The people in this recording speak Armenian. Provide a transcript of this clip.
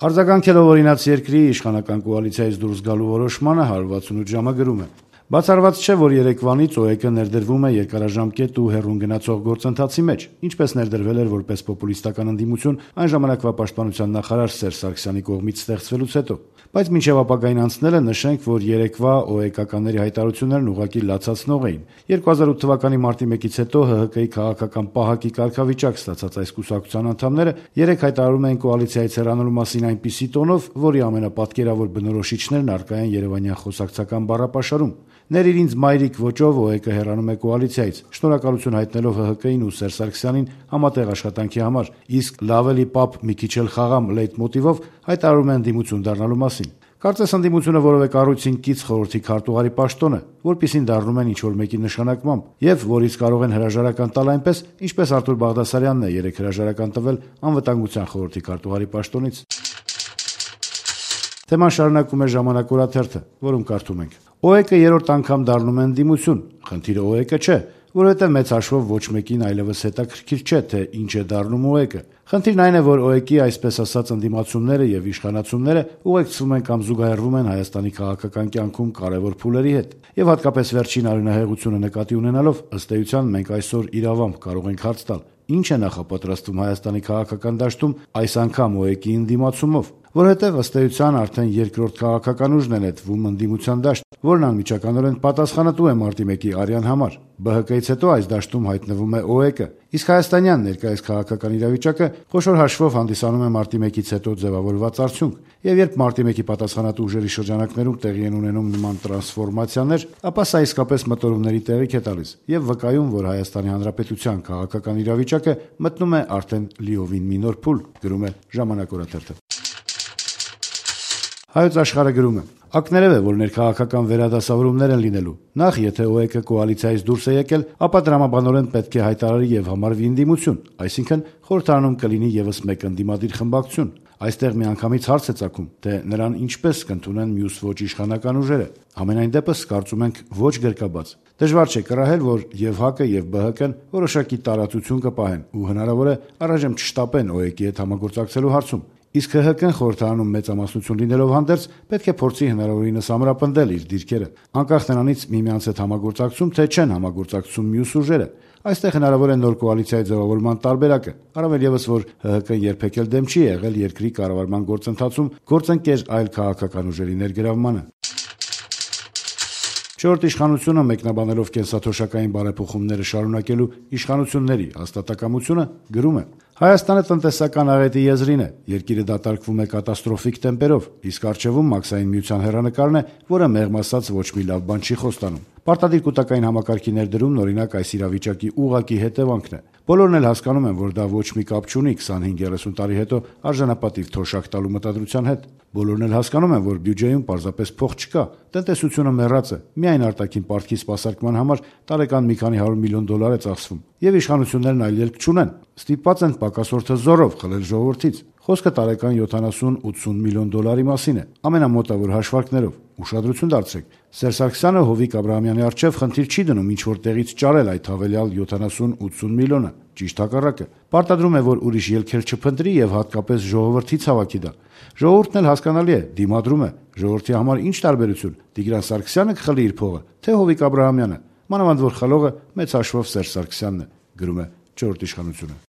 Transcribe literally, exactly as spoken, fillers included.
Արձագանքելով օրինաց երկրի իշխանական կոալիցիայից դուրս գալու որոշմանը հարյուր վաթսունութ ժամը գրում է. Բացառված չէ, որ երեկվանից ՕԵԿ-ը ներդրվում է երկարաժամկետ ու հեռուն գնացող գործընթացի մեջ, ինչպես ներդրվել էր որպես պոպուլիստական ընդդիմություն այն ժամանակվա պաշտպանության նախարար Սերժ Սարգսյանի կողմից ստեղծվելուց հետո։ Բայց մինչև ապագային անցնելը նշենք, որ երեկվա ՕԵԿ-ականների հայտարարություններն ուղղակի լացացնող էին։ երկու հազար ութ թվականի մարտի մեկից հետո ՀՀԿ-ի քաղաքական պահակի կարգավիճակ ստացած այս կուսակցության անդամները երեք հայտարարում էին կոալիցիայից հեռանալու մասին այնպիսի տոնով, որի ամենապատկերավոր բնորոշիչներն առկա են երևանյան խոսակցական բառապաշարում։ «Ներիր ինձ մայրիկ» ոճով ՕԵԿ-ը հեռանում է կոալիցիայից, շնորհակալություն հայտնելով ՀՀԿ-ին ու Սերժ Սարգսյանին համատեղ աշխատանքի համար, իսկ «լավ էլի պապ, մի քիչ էլ խաղամ» լեյտմոտիվով հայտարարում են ընդդիմություն դառնալու մասին։ Կարծես ընդդիմությունը որևէ կառույցին կից խորհրդի քարտուղարի պաշտոն է, որպիսին դառնում են ինչ-որ մեկի նշանակմամբ, եւ որից կարող են հրաժարական տալ այնպես, ինչպես Արտուր Բաղդասարյանն է երեք հրաժարական տվել անվտանգության խորհրդի քարտուղարի պաշտոնից։ Թեման շարունակում է «Ժամանակ» օրաթերթը, որում կարդում ենք. ՕԵԿ-ը երրորդ անգամ դառնում է ընդդիմություն, խնդիրը ՕԵԿ-ը չէ, որովհետև մեծ հաշվով ոչ մեկին այլևս հետաքրքիր չէ, թե ինչ է դառնում ՕԵԿ-ը։ Խնդիրն այն է, որ ՕԵԿ-ի այսպես ասած ընդդիմացումները եւ իշխանացումները ուղեկցվում են կամ զուգահեռվում են Հայաստանի քաղաքական կյանքում կարևոր փուլերի հետ։ Եվ հատկապես վերջին արյունահեղությունը նկատի ունենալով, ըստ էության մենք այսօր իրավամբ կարող ենք հարց տալ. ինչ է նախապատրաստվում Հայաստանի քաղաքական դաշտում այս անգամ ՕԵԿ-ի ընդդիմացումով, որովհետև ըստ էության արդեն երկրորդ քաղաքական ուժն է նետվում ընդդիմության դաշտ, որն անմիջականորեն պատասխանատու է մարտի մեկի արյան համար։ ԲՀԿ-ից հետո այս դաշտում հայտնվում է ՕԵԿ-ը, իսկ հայաստանյան ներկայիս քաղաքական իրավիճակը խոշոր հաշվով հանդիսանում է մարտի մեկից հետո ձևավորված արդյունք, եւ երբ մարտի մեկի պատասխանատու ուժերի շրջանակներում տեղի են ունենում նման տրանսֆորմացիաներ, ապա սա իսկապես մտորումների տեղիք է տալիս եւ վկայում, որ Հայաստանի Հանրապետության քաղաքական իրավիճակը մտնում է արդեն լիովին մի նոր փուլ, գրում է «Ժամանակ» օրաթերթը։ Հայոց Աշխարհը գրում է. Ակներև է, որ ներքաղաքական վերադասավորումներ են լինելու։ Նախ, եթե ՕԵԿ-ը կոալիցիայից դուրս է եկել, ապա դրամաբանորեն պետք է հայտարարի եւ համարվի ընդդիմություն, այսինքն խորհրդարանում կլինի եւս մեկ ընդդիմադիր խմբակցություն։ Այստեղ միանգամից հարց է ծագում, թե նրան ինչպես կընդունեն մյուս ոչ իշխանական ուժերը։ Համենայն դեպս, կարծում ենք, ոչ գրկաբաց։ Դժվար չէ կռահել, որ եւ ՀԱԿ-ը եւ ԲՀԿ-ն որոշակի տարածություն կպահեն ու հնարավոր է առայժմ չշտապեն ՕԵԿ-ի հետ համագործակցելու հարցում։ Իսկ ՀՀԿ-ն խորհրդարանում մեծամասնություն լինելով հանդերձ պետք է փորձի հնարավորինս ամրապնդել իր դիրքերը, անկախ նրանից միմյանց հետ համագործակցում թե չեն համագործակցում մյուս ուժերը։ Այստեղ հնարավոր է նոր կոալիցիայի ձևավորման տարբերակը, առավել եւս որ ՀՀԿ-ն երբեք էլ դեմ չի եղել երկրի կառավարման գործընթացում գործընկեր այլ քաղաքական ուժերի ներգրավմանը։ Չորրորդ իշխանությունը մեկնաբանելով կենսաթոշակային բարեփոխումները շարունակելու իշխանությունների հաստատակամությունը գրում է. Հայաստանը տնտեսական աղետի եզրին է, երկիրը դատարկվում է կատաստրոֆիկ տեմպերով, իսկ առջևում մաքսային միության հեռանկարն է, որը մեղմ ասած ոչ մի լավ բան չի խոստանում։ Պարտադիր կൂട്ടակային համակարգի ներդրումն օրինակ այս իրավիճակի ուղղակի հետևանքն է։ Բոլորն էլ հասկանում են, որ դա ոչ մի կապ չունի քսանհինգ երեսուն տարի հետո արժանապատիվ թոշակ տալու մտադրության հետ։ Բոլորն էլ հասկանում են, որ բյուջեում պարզապես փող չկա, տնտեսությունը մեռած է, միայն արտաքին պարտքի սպասարկման համար տարեկան մի քանի հարյուր միլիոն դոլար է ծախսվում, եւ իշխանություններն այլ ելք չունեն, ստիպված են պակասորդը զորով խլել ժողովրդից։ Խոսքը տարեկան յոթանասուն-ութսուն միլիոն դոլարի մասին է, ամենամոտավոր հաշվարկներով։ Ուշադրություն դարձրեք, Սերժ Սարգսյանը Հովիկ Աբրահամյանի առջև խնդիր չի դնում ինչ-որ տեղից ճարել այդ հավելյալ յոթանասուն-ութսուն միլիոնը, ճիշտ հակառակը։ Պարտադրում է, որ ուրիշ ելքեր չփնտրի եւ հատկապես ժողովրդից հավաքի դա։ Ժողովուրդն էլ հասկանալի է, դիմադրում է։ Ժողովրդի համար ինչ տարբերություն՝ Տիգրան Սարգսյանը կխլի իր փողը, թե Հովիկ Աբրահամյանը, մանավանդ որ խլողը մեծ հաշվով Սերժ Սարգսյանն է, գրում է չորրորդ իշխանությունը։